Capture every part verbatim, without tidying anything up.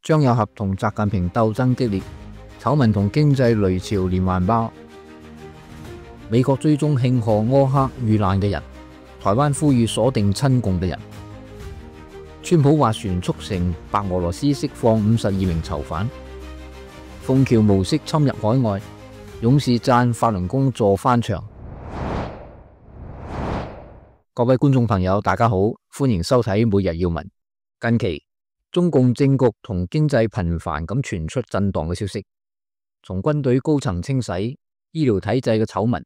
張又俠同習近平鬥爭激烈，醜聞同經濟雷潮連環爆。美國追蹤慶賀柯克遇難嘅人，台灣呼籲鎖定親共嘅人。川普斡旋促成白俄羅斯釋放五十二名囚犯。鳳橋模式侵入海外，勇士讚法輪功助翻牆。各位觀眾朋友，大家好，歡迎收睇每日要聞。近期中共政局同經濟頻繁咁傳出震盪嘅消息，從軍隊高層清洗、醫療體制嘅醜聞，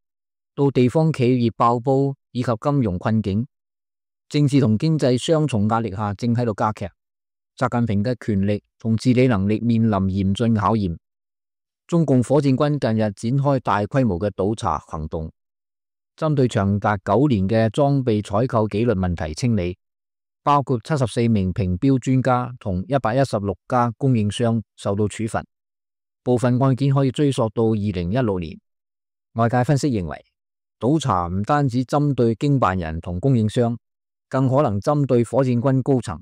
到地方企業爆煲以及金融困境，政治同經濟雙重壓力下正喺度加劇。習近平嘅權力同治理能力面臨嚴峻考驗。中共火箭軍近日展開大規模嘅倒查行動，針對長達九年嘅裝備採購紀律問題清理，包括七十四名評標專家同一百一十六家供應商受到處罰，部分案件可以追溯到二零一六年。外界分析認為，倒查唔單止針對經辦人同供應商，更可能針對火箭軍高層、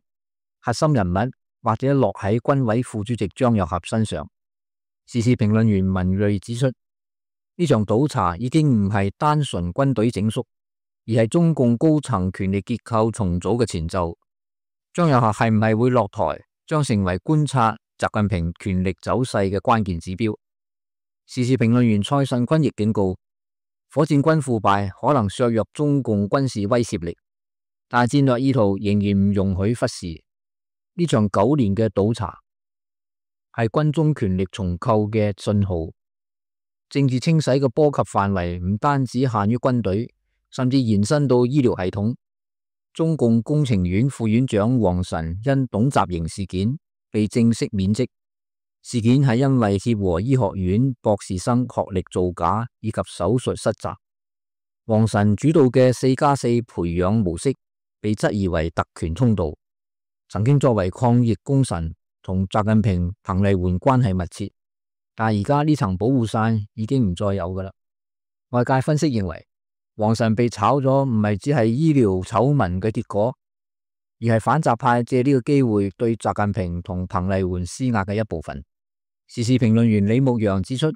核心人物或者落喺軍委副主席張又俠身上。時事評論員文睿指出，呢場倒查已經唔係單純軍隊整肅，而係中共高層權力結構重組嘅前奏。張又俠係唔係會落台，將成為觀察習近平權力走勢嘅關鍵指標。時事評論員蔡慎坤亦警告，火箭軍腐敗可能削弱中共軍事威懾力，但戰略意圖仍然唔容許忽視。呢場九年嘅倒查係軍中權力重構嘅信號，政治清洗嘅波及範圍唔單止限於軍隊，甚至延伸到醫療系統。中共工程院副院長王晨因董習瑩事件被正式免職，事件係因為協和醫學院博士生學歷造假以及手術失責。王晨主導嘅四加四培養模式被質疑為特權通道，曾經作為抗疫功臣，同習近平、彭麗媛關係密切，但而家呢層保護傘已經唔再有噶啦。外界分析認為，王晨被炒咗唔係只係醫療醜聞嘅結果，而係反習派借呢個機會對習近平同彭麗媛施壓嘅一部分。時事評論員李牧陽指出，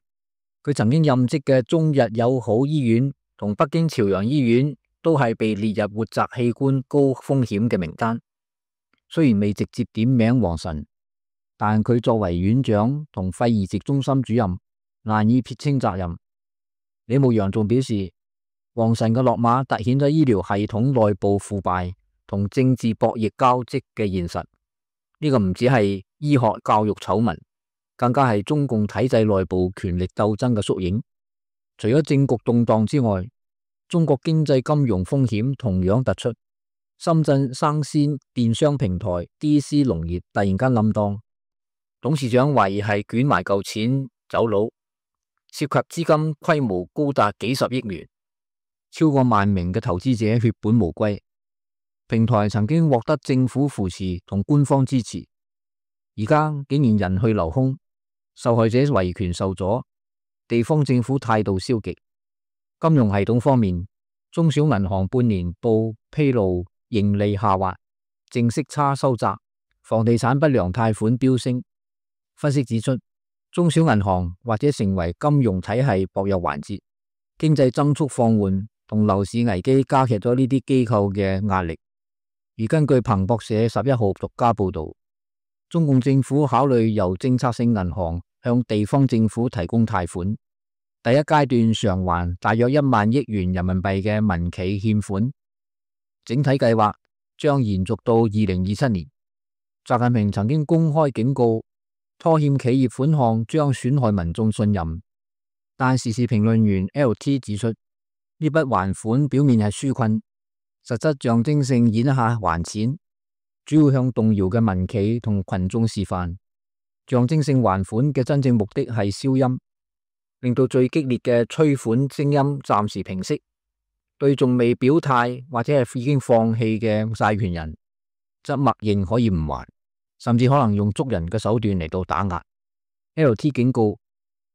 佢曾經任職嘅中日友好醫院同北京朝陽醫院都係被列入活摘器官高風險嘅名單，雖然未直接點名王晨，但佢作為院長同肺移植中心主任，難以撇清責任。李牧陽仲表示，王晨嘅落馬凸顯咗醫療系統內部腐敗同政治博弈交織嘅現實。呢、這個唔只係醫學教育醜聞，更加係中共體制內部權力鬥爭嘅縮影。除咗政局動盪之外，中國經濟金融風險同樣突出。深圳生鮮電商平台 D C 農業突然間冧檔，董事長懷疑係捲埋嚿錢走佬，涉及資金規模高達幾十億元，超過萬名嘅投資者血本無歸。平台曾經獲得政府扶持同官方支持，而家竟然人去樓空，受害者維權受阻，地方政府態度消極。金融系統方面，中小銀行半年報披露盈利下滑，淨息差收窄，房地產不良貸款飆升。分析指出，中小銀行或者成為金融體系薄弱環節，經濟增速放緩同樓市危機加劇咗呢啲機構嘅壓力。而根據彭博社十一號獨家報道，中共政府考慮由政策性銀行向地方政府提供貸款，第一階段償還大約一萬億元人民幣嘅民企欠款，整體計劃將延續到二零二七年。習近平曾經公開警告，拖欠企業款項將損害民眾信任，但時事評論員 L T 指出，呢筆還款表面係紓困，實質象徵性演下還錢，主要向動搖嘅民企同群眾示範，象徵性還款嘅真正目的係消音，令到最激烈嘅催款聲音暫時平息。對仲未表態或者係已經放棄嘅債權人，則默認可以唔還，甚至可能用捉人嘅手段嚟到打壓。L T 警告，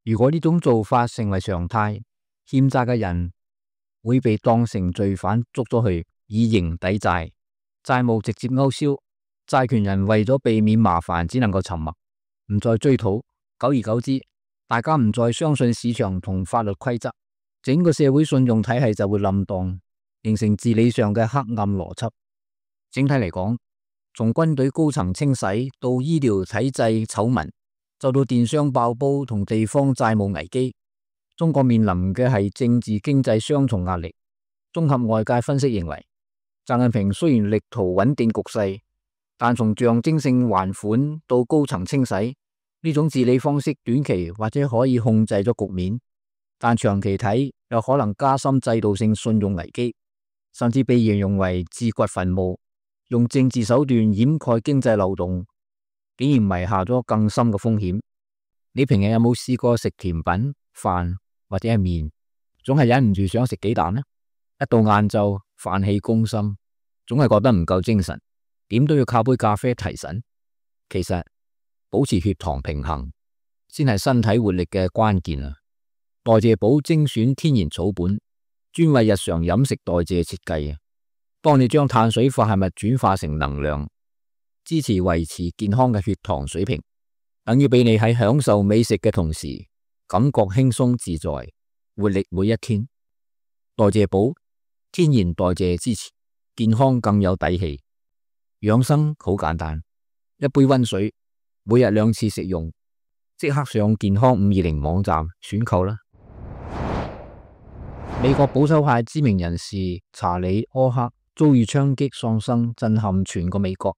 如果呢種做法成為常態，欠債嘅人會被當成罪犯捉咗去以刑抵債，債務直接勾銷，債權人為咗避免麻煩，只能夠沉默。唔再追討，久而久之，大家唔再相信市場同法律規則，整個社會信用體系就會冧檔，形成治理上嘅黑暗邏輯。整體嚟講，從軍隊高層清洗到醫療體制醜聞，就到電商爆煲同地方債務危機，中國面臨嘅係政治經濟雙重壓力。綜合外界分析認為，習近平雖然力圖穩定局勢，但從象徵性還款到高層清洗呢種治理方式，短期或者可以控制咗局面，但長期睇有可能加深制度性信用危機，甚至被形容為自掘墳墓，用政治手段掩蓋經濟漏洞，竟然埋下咗更深嘅風險。你平日有冇試過食甜品、飯或者係麵，總係忍唔住想食幾啖呢？一到晏晝，飯氣攻心，總係覺得唔夠精神，點都要靠杯咖啡提神。其實保持血糖平衡先係身體活力嘅關鍵啊！代謝寶精選天然草本，專為日常飲食代謝設計啊，幫你將碳水化合物轉化成能量，支持維持健康嘅血糖水平，等於俾你喺享受美食嘅同時，感覺輕鬆自在，活力每一天。代謝寶天然代謝支持，健康更有底氣。養生好簡單，一杯溫水，每日兩次食用，即刻上健康五二零網站選購啦。美國保守派知名人士查理·柯克遭遇槍擊喪生，震撼全個美國，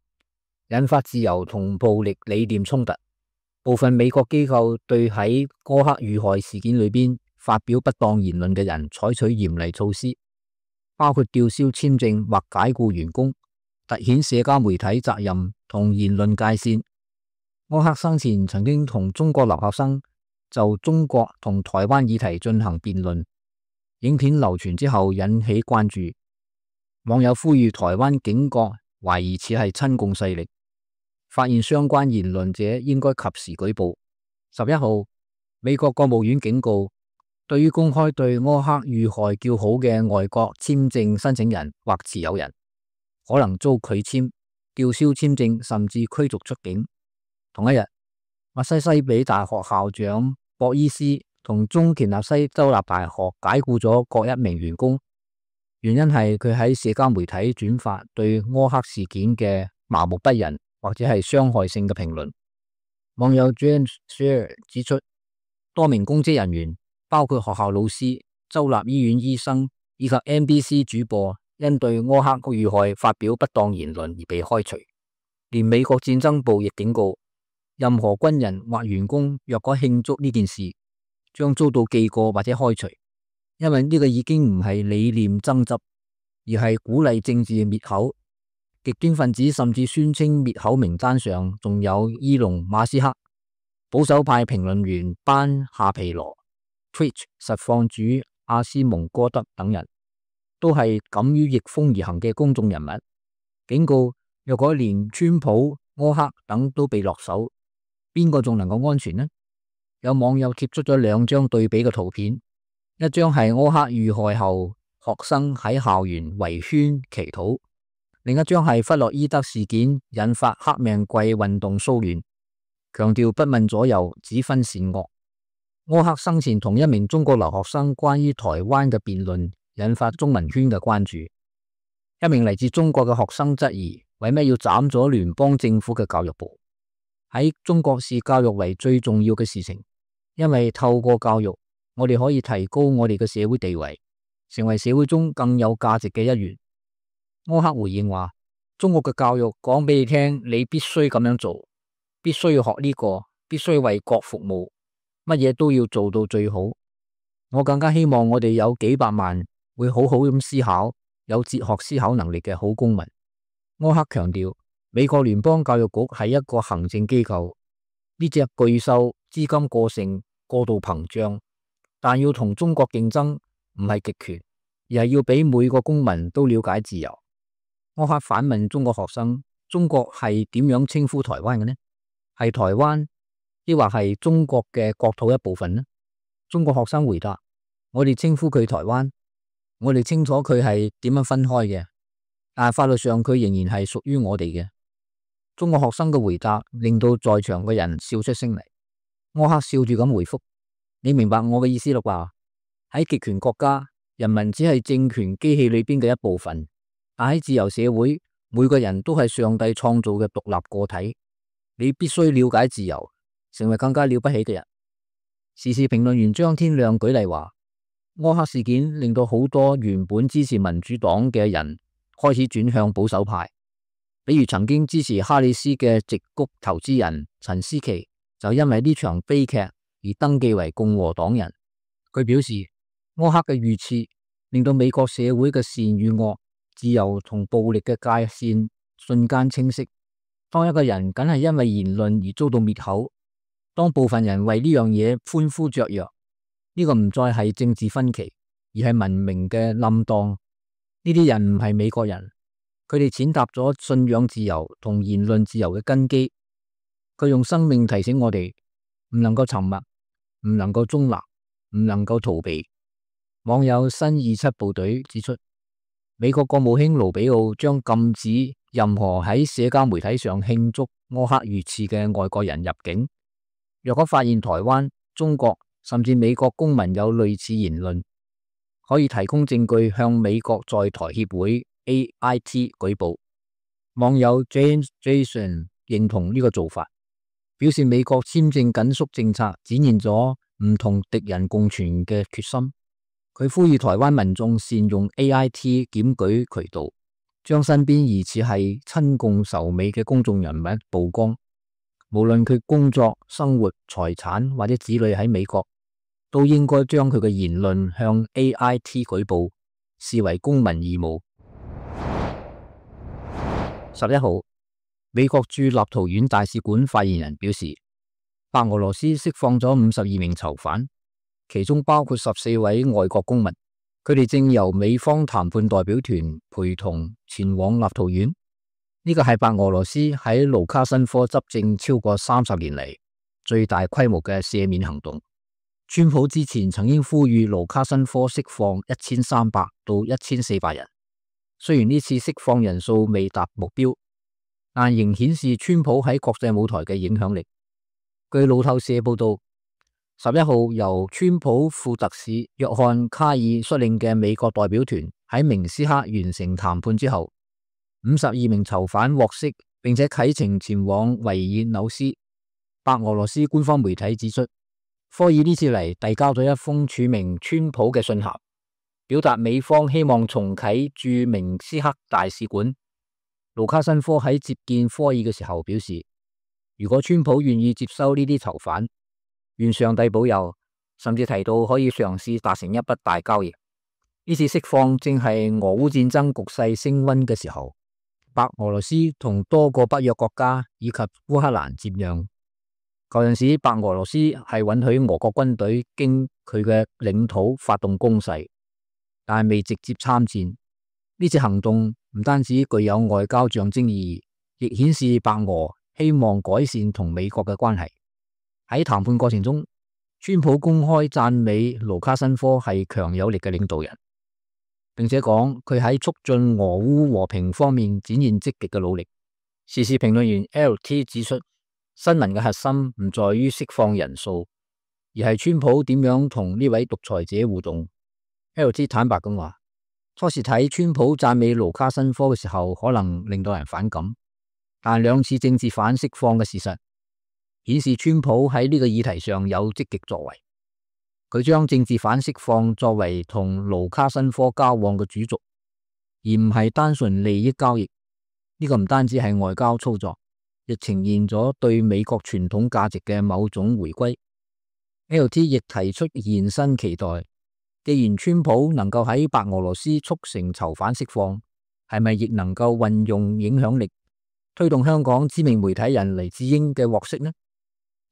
引發自由同暴力理念衝突。部分美國機構對喺柯克遇害事件裏邊發表不當言論嘅人採取嚴厲措施，包括吊銷簽證或解僱員工，凸顯社交媒體責任同言論界線。柯克生前曾經同中國留學生就中國同台灣議題進行辯論，影片流傳之後引起關注，網友呼籲台灣警覺懷疑此係親共勢力，發現相關言論者應該及時舉報。十一號，美國國務院警告，對於公開對柯克遇害叫好嘅外國簽證申請人或持有人，可能遭拒簽、吊銷簽證，甚至驅逐出境。同一日，密西西比大學校長博伊斯同中田納西州立大學解僱咗各一名員工，原因係佢喺社交媒體轉發對柯克事件嘅麻木不仁或者係傷害性嘅評論。網友 James Share 指出，多名公職人員，包括學校老師、州立醫院醫生以及 N B C 主播，因對柯克遇害發表不當言論而被開除。連美國戰爭部亦警告，任何軍人或員工若果慶祝呢件事，將遭到記過或者開除，因為呢個已經唔係理念爭執，而係鼓勵政治滅口。極端分子甚至宣稱滅口名單上仲有伊隆馬斯克、保守派評論員班夏皮羅、Twitch 實況主阿斯蒙哥德等人，都係敢於逆風而行嘅公眾人物。警告，若果連川普、柯克等都被落手，邊個仲能夠安全呢？有網友貼出咗兩張對比嘅圖片，一張係柯克遇害後學生喺校園圍圈祈禱，另一張係弗洛伊德事件引發黑命貴運動騷亂，強調不問左右，只分善惡。柯克生前同一名中國留學生關於台灣嘅辯論，引發中文圈嘅關注。一名嚟自中國嘅學生質疑，為咩要斬咗聯邦政府嘅教育部？喺中國視教育為最重要嘅事情，因為透過教育，我哋可以提高我哋嘅社會地位，成為社會中更有價值嘅一員。柯克回應話，中國嘅教育講俾你聽，你必須咁樣做，必須要學呢個，必須為國服務，乜嘢都要做到最好。我更加希望我哋有幾百萬會好好咁思考，有哲學思考能力嘅好公民。柯克強調，美國聯邦教育局係一個行政機構，呢隻巨獸資金過剩、過度膨脹，但要同中國競爭唔係極權，而係要俾每個公民都了解自由。柯克反問中國學生，中國係點樣稱呼台灣嘅呢？係台灣，抑或係中國嘅國土一部分呢？中國學生回答，我哋稱呼佢台灣，我哋清楚佢係點樣分開嘅，但係法律上佢仍然係屬於我哋嘅。中國學生嘅回答令到在場嘅人笑出聲嚟。柯克笑住咁回覆：你明白我嘅意思啦啩？喺極權國家，人民只係政權機器裏邊嘅一部分，但喺自由社會，每個人都係上帝創造嘅獨立個體。你必須了解自由，成為更加了不起嘅人。時事評論員張天亮舉例話，柯克事件令到好多原本支持民主黨嘅人開始轉向保守派，比如曾經支持哈里斯嘅矽谷投資人陳思琪，就因為呢場悲劇而登記為共和黨人。佢表示，柯克嘅遇刺令到美國社會嘅善與惡、自由同暴力嘅界線瞬間清晰。當一個人僅係因為言論而遭到滅口，當部分人為呢樣嘢歡呼雀躍，呢個唔再係政治分歧，而係文明嘅冧檔。呢啲人唔係美國人，佢哋踐踏咗信仰自由同言論自由嘅根基。佢用生命提醒我哋，唔能夠沉默，唔能夠中立，唔能夠逃避。網友新二七部隊指出，美國國務卿盧比奧將禁止任何喺社交媒體上慶祝柯克遇刺嘅外國人入境。若果發現台灣、中國甚至美國公民有類似言論，可以提供證據向美國在台協會 A I T 舉報。網友 James Jason 認同呢個做法，表示美國簽證緊縮政策展現咗唔同敵人共存嘅決心。佢呼籲台灣民眾善用 A I T 檢舉渠道，將身邊疑似係親共仇美嘅公眾人物曝光。無論佢工作、生活、財產或者子女喺美國，都應該將佢嘅言論向 A I T 舉報，視為公民義務。十一號，美國駐立陶宛大使館發言人表示，白俄羅斯釋放咗五十二名囚犯，其中包括十四位外國公民，佢哋正由美方談判代表團陪同前往立陶宛。呢個係白俄羅斯喺盧卡申科執政超過三十年嚟最大規模嘅赦免行動。川普之前曾經呼籲盧卡申科釋放一千三百到一千四百人，雖然呢次釋放人數未達目標，但仍顯示川普喺國際舞台嘅影響力。據路透社報道，十一號由川普副特使約翰卡爾率領嘅美國代表團喺明斯克完成談判之後，五十二名囚犯獲釋，並且啟程前往維爾紐斯。白俄羅斯官方媒體指出，科爾呢次嚟遞交咗一封署名川普嘅信函，表達美方希望重啟駐明斯克大使館。盧卡申科喺接見科爾嘅時候表示，如果川普願意接收呢啲囚犯，願上帝保佑，甚至提到可以嘗試達成一筆大交易。呢次釋放正係俄烏戰爭局勢升溫嘅時候，白俄羅斯同多個北約國家以及烏克蘭接壤。嗰陣時，白俄羅斯係允許俄國軍隊經佢嘅領土發動攻勢，但係未直接參戰。呢次行動唔單止具有外交象徵意義，亦顯示白俄希望改善同美國嘅關係。喺談判過程中，川普公開讚美盧卡申科係強有力嘅領導人，並且講佢喺促進俄烏和平方面展現積極嘅努力。時事評論員 L T 指出，新聞嘅核心唔在於釋放人數，而係川普點樣同呢位獨裁者互動。L T 坦白咁話，初時睇川普讚美盧卡申科嘅時候，可能令到人反感，但兩次政治犯釋放嘅事實顯示川普喺呢個議題上有積極作為。佢將政治犯釋放作為同盧卡申科交往嘅主軸，而唔係單純利益交易。呢個唔單止係外交操作，亦呈現咗對美國傳統價值嘅某種回歸。L T 亦提出延伸期待，既然川普能夠喺白俄羅斯促成囚犯釋放，係咪亦能夠運用影響力推動香港知名媒體人黎智英嘅獲釋呢？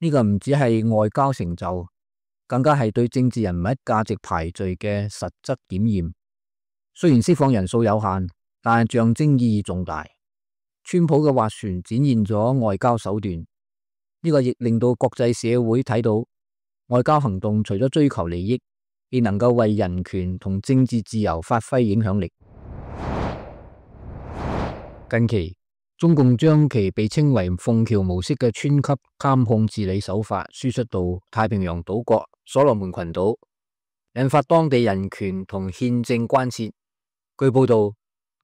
呢個唔只係外交成就，更加係對政治人物價值排序嘅實質檢驗。雖然釋放人數有限，但係象徵意義重大。川普嘅斡旋展現咗外交手段，呢個亦令到國際社會睇到外交行動除咗追求利益，亦能夠為人權同政治自由發揮影響力。近期中共將其被稱為鳳橋模式嘅村級監控治理手法輸出到太平洋島國所羅門群島，引發當地人權同憲政關切。據報道，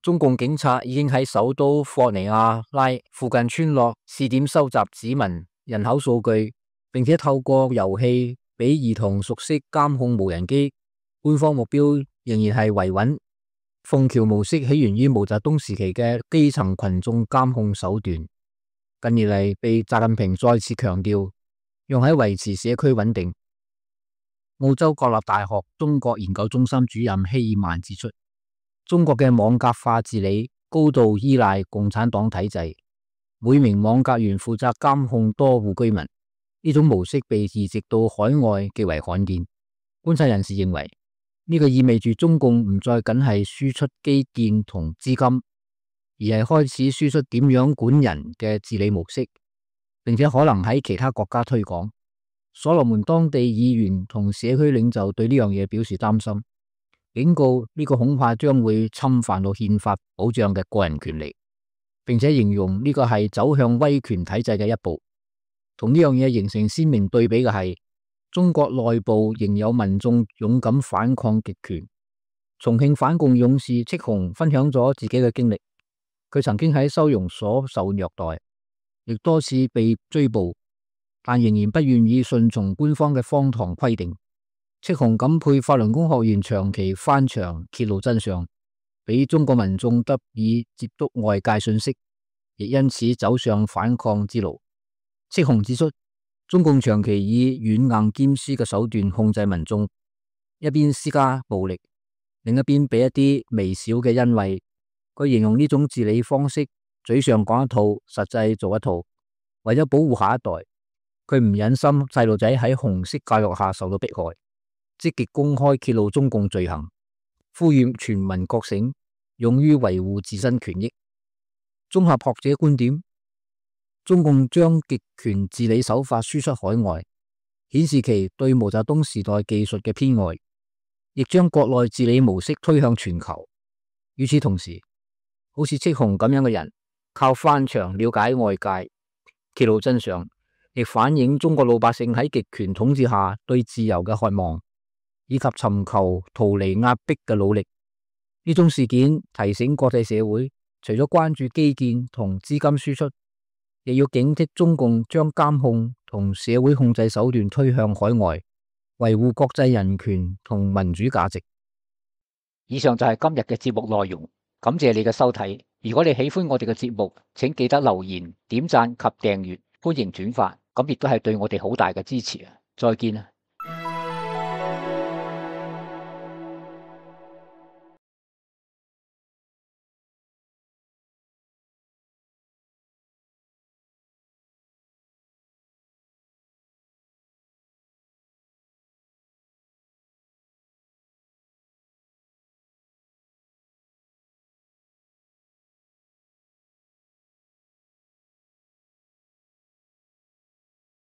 中共警察已經喺首都霍尼亞拉附近村落試點收集指紋、人口數據，並且透過遊戲俾兒童熟悉監控無人機。官方目標仍然係維穩。鳳橋模式起源於毛澤東時期嘅基層群眾監控手段，近年嚟被習近平再次強調，用喺維持社區穩定。澳洲國立大學中國研究中心主任希爾曼指出，中國嘅網格化治理高度依賴共產黨體制，每名網格員負責監控多戶居民，呢種模式被移植到海外極為罕見。觀察人士認為，呢個意味住中共唔再僅係輸出基建同資金，而係開始輸出點樣管人嘅治理模式，並且可能喺其他國家推廣。所羅門當地議員同社區領袖對呢樣嘢表示擔心，警告呢個恐怕將會侵犯到憲法保障嘅個人權利，並且形容呢個係走向威權體制嘅一步。同呢樣嘢形成鮮明對比嘅係，中國內部仍有民眾勇敢反抗極權。重慶反共勇士戚紅分享咗自己嘅經歷，佢曾經喺收容所受虐待，亦多次被追捕，但仍然不願意順從官方嘅荒唐規定。戚紅感佩法輪功學員長期翻牆揭露真相，俾中國民眾得以接觸外界信息，亦因此走上反抗之路。戚紅指出，中共長期以軟硬兼施嘅手段控制民眾，一邊施加暴力，另一邊俾一啲微小嘅恩惠。佢形容呢種治理方式，嘴上講一套，實際做一套。為咗保護下一代，佢唔忍心細路仔喺紅色教育下受到迫害，積極公開揭露中共罪行，呼籲全民覺醒，勇於維護自身權益。綜合學者觀點，中共將極權治理手法輸出海外，顯示其對毛澤東時代技術嘅偏愛，亦將國內治理模式推向全球。與此同時，好似戚紅咁樣嘅人，靠翻牆了解外界，揭露真相，亦反映中國老百姓喺極權統治下對自由嘅渴望，以及尋求逃離壓迫嘅努力。呢種事件提醒國際社會，除咗關注基建同資金輸出，亦要警惕中共將監控同社會控制手段推向海外，維護國際人權同民主價值。以上就係今日嘅節目內容，感謝你嘅收睇。如果你喜歡我哋嘅節目，請記得留言、點讚及訂閱，歡迎轉發，咁亦都係對我哋好大嘅支持啊！再見啊！